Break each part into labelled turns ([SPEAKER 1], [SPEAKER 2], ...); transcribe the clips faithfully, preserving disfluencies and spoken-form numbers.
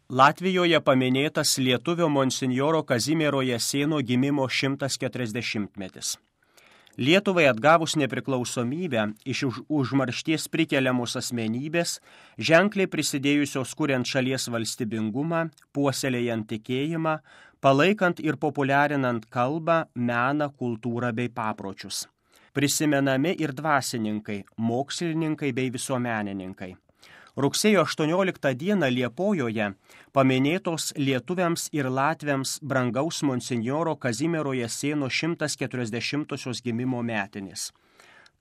[SPEAKER 1] Latvijoje paminėtas lietuvio monsinjoro Kazimiero Jasėno gimimo šimtas keturiasdešimtmetis. Lietuvai atgavus nepriklausomybę iš už, užmaršties prikeliamos asmenybės, ženkliai prisidėjusios kuriant šalies valstybingumą, puoselėjant tikėjimą, palaikant ir populiarinant kalbą, meną, kultūrą bei papročius. Prisimenami ir dvasininkai, mokslininkai bei visuomenininkai. Rugsėjo aštuonioliktą dieną Liepojoje paminėtos lietuviams ir latviams brangaus monsinjoro Kazimiero Jasėno šimtas keturiasdešimtosios gimimo metinės.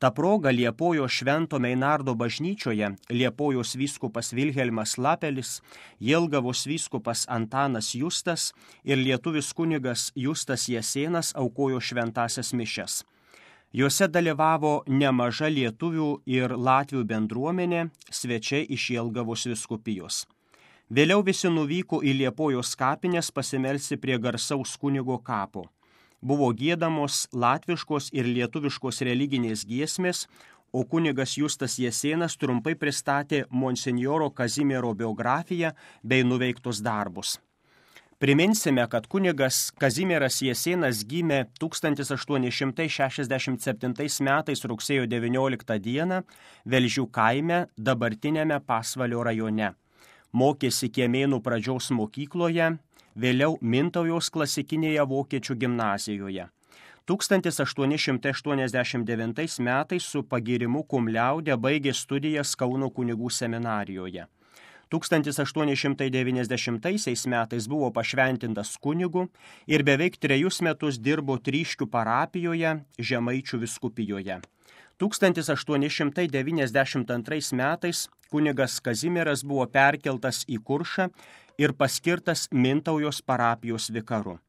[SPEAKER 1] Ta proga Liepojos Švento Meinardo bažnyčioje Liepojos vyskupas Vilhelmas Lapelis, Jelgavos vyskupas Antanas Justas ir lietuvis kunigas Justas Jasėnas aukojo šventąsias mišias. Juose dalyvavo nemaža lietuvių ir latvių bendruomenė, svečiai iš Jelgavos vyskupijos. Vėliau visi nuvyko į Liepojos kapines pasimelsti prie garsaus kunigo kapo. Buvo giedamos latviškos ir lietuviškos religinės giesmės, o kunigas Justas Jasėnas trumpai pristatė monsinjoro Kazimiero biografiją bei nuveiktus darbus. Priminsime, kad kunigas Kazimieras Jasėnas gimė tūkstantis aštuoni šimtai šešiasdešimt septintais metais rugsėjo devynioliktą dieną Velžių kaime, dabartinėme Pasvalio rajone. Mokėsi Kiemėnų pradžios mokykloje, vėliau Mintaujos klasikinėje vokiečių gimnazijoje. tūkstantis aštuoni šimtai aštuoniasdešimt devintais metais su pagyrimu cum laude baigė studijas Kauno kunigų seminarijoje. tūkstantis aštuoni šimtai devyniasdešimtaisiais metais buvo pašventintas kunigu ir beveik trejus metus dirbo Tryškių parapijoje, Žemaičių vyskupijoje. tūkstantis aštuoni šimtai devyniasdešimt antrais metais kunigas Kazimieras buvo perkeltas į Kuršą ir paskirtas Mintaujos parapijos vikaru.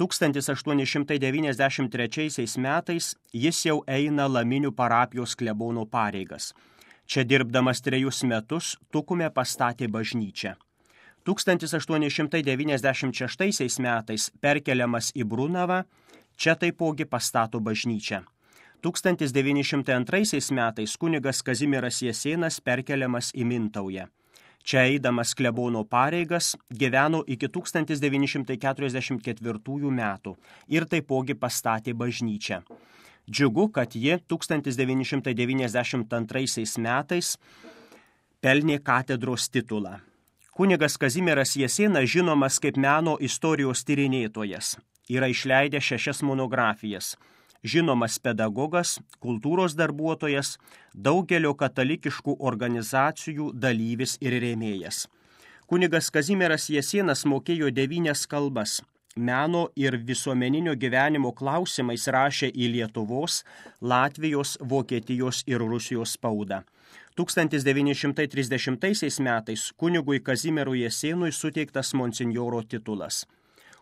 [SPEAKER 1] tūkstantis aštuoni šimtai devyniasdešimt trečiaisiais metais jis jau eina Laminių parapijos klebono pareigas. Čia dirbdamas trejus metus Tukume pastatė bažnyčią. tūkstantis aštuoni šimtai devyniasdešimt šeštaisiais metais perkeliamas į Brunavą, čia taipogi pastato bažnyčią. tūkstantis devyni šimtai antraisiais metais kunigas Kazimieras Jasėnas perkeliamas į Mintaują. Čia eidamas klebono pareigas gyveno iki tūkstantis devyni šimtai keturiasdešimt ketvirtųjų metų ir taipogi pastatė bažnyčią. Džiugu, kad ji tūkstantis devyni šimtai devyniasdešimt antraisiais metais pelnė katedros titulą. Kunigas Kazimieras Jasėnas žinomas kaip meno istorijos tyrinėtojas. Yra išleidęs šešias monografijas. Žinomas pedagogas, kultūros darbuotojas, daugelio katalikiškų organizacijų dalyvis ir rėmėjas. Kunigas Kazimieras Jasėnas mokėjo devynias kalbas. Meno ir visuomeninio gyvenimo klausimais rašė į Lietuvos, Latvijos, Vokietijos ir Rusijos spaudą. tūkstantis devyni šimtai trisdešimtaisiais metais kunigui Kazimierui Jasėnui suteiktas monsinjoro titulas.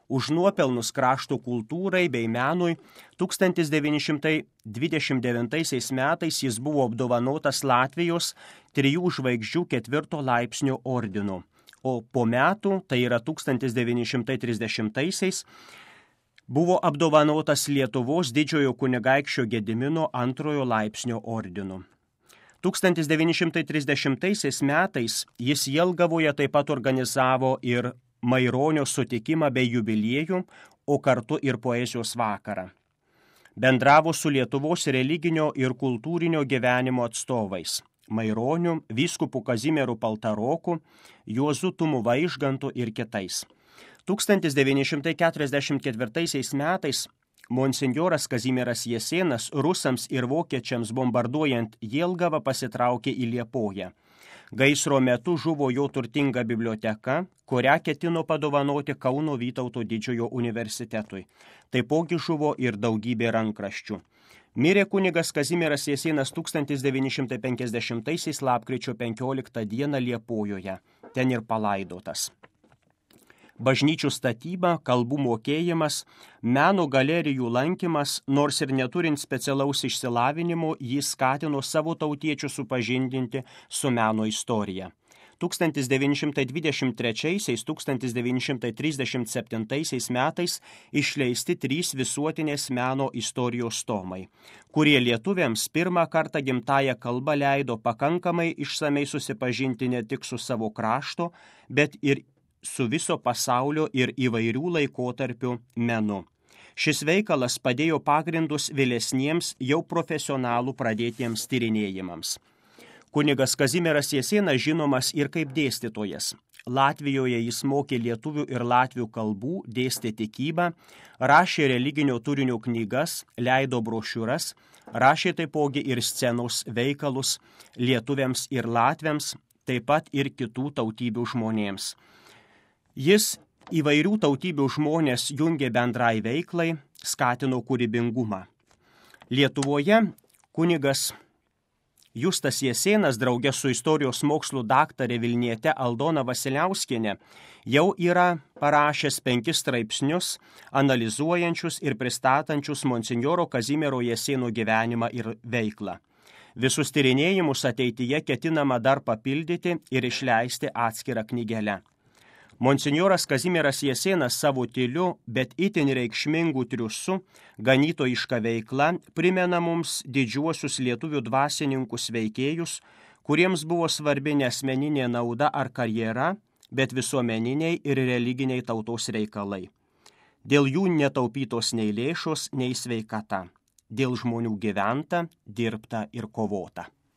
[SPEAKER 1] Už nuopelnus krašto kultūrai bei menui tūkstantis devyni šimtai dvidešimt devintaisiais metais jis buvo apdovanotas Latvijos trijų žvaigždžių ketvirto laipsnio ordinu. O po metų, tai yra tūkstantis devyni šimtai trisdešimtaisiais, buvo apdovanotas Lietuvos didžiojo kunigaikščio Gedimino antrojo laipsnio ordinu. tūkstantis devyni šimtai trisdešimtaisiais metais jis Jelgavoje taip pat organizavo ir Maironio sutikimą bei jubiliejų, o kartu ir poezijos vakarą. Bendravo su Lietuvos religinio ir kultūrinio gyvenimo atstovais. Maironiu, vyskupu Kazimieru Paltaroku, Juozu Tumu Vaižgantu ir kitais. tūkstantis devyni šimtai keturiasdešimt ketvirtaisiais metais monsinjoras Kazimieras Jasėnas rusams ir vokiečiams bombarduojant Jelgavą pasitraukė į Liepoją. Gaisro metu žuvo jo turtinga biblioteka, kurią ketino padovanoti Kauno Vytauto didžiojo universitetui. Taipogi žuvo ir daugybė rankraščių. Mirė kunigas Kazimieras Jasėnas tūkstantis devyni šimtai penkiasdešimtaisiais lapkričio penkioliktą dieną Liepojoje. Ten ir palaidotas. Bažnyčių statyba, kalbų mokėjimas, meno galerijų lankymas, nors ir neturint specialaus išsilavinimo, jį skatino savo tautiečių supažindinti su meno istorija. tūkstantis devyni šimtai dvidešimt trečiaisiais - tūkstantis devyni šimtai trisdešimt septintaisiais metais išleisti trys visuotinės meno istorijos tomai, kurie lietuviams pirmą kartą gimtąją kalbą leido pakankamai išsamei susipažinti ne tik su savo krašto, bet ir su viso pasaulio ir įvairių laikotarpių menu. Šis veikalas padėjo pagrindus vėlesniems jau profesionalų pradėtiems tyrinėjimams. Kunigas Kazimieras Jasėnas žinomas ir kaip dėstytojas. Latvijoje jis mokė lietuvių ir latvių kalbų, dėstė tikybą, rašė religinio turinio knygas, leido brošiūras, rašė taipogi ir scenos veikalus lietuviams ir latviams, taip pat ir kitų tautybių žmonėms. Jis įvairių tautybių žmonės jungė bendrai veiklai, skatino kūrybingumą. Lietuvoje kunigas Justas Jasėnas draugė su istorijos mokslų daktarė Vilniete Aldona Vasiliauskienė jau yra parašęs penkis straipsnius, analizuojančius ir pristatančius monsinjoro Kazimiero Jasėno gyvenimą ir veiklą. Visus tyrinėjimus ateityje ketinama dar papildyti ir išleisti atskirą knygelę. Monsinjoras Kazimieras Jasėnas savo tyliu, bet itin reikšmingų triusu, ganytojiška veikla primena mums didžiuosius lietuvių dvasininkus veikėjus, kuriems buvo svarbi ne asmeninė nauda ar karjera, bet visuomeniniai ir religiniai tautos reikalai. Dėl jų netaupytos nei lėšos, nei sveikata. Dėl žmonių gyventa, dirbta ir kovota.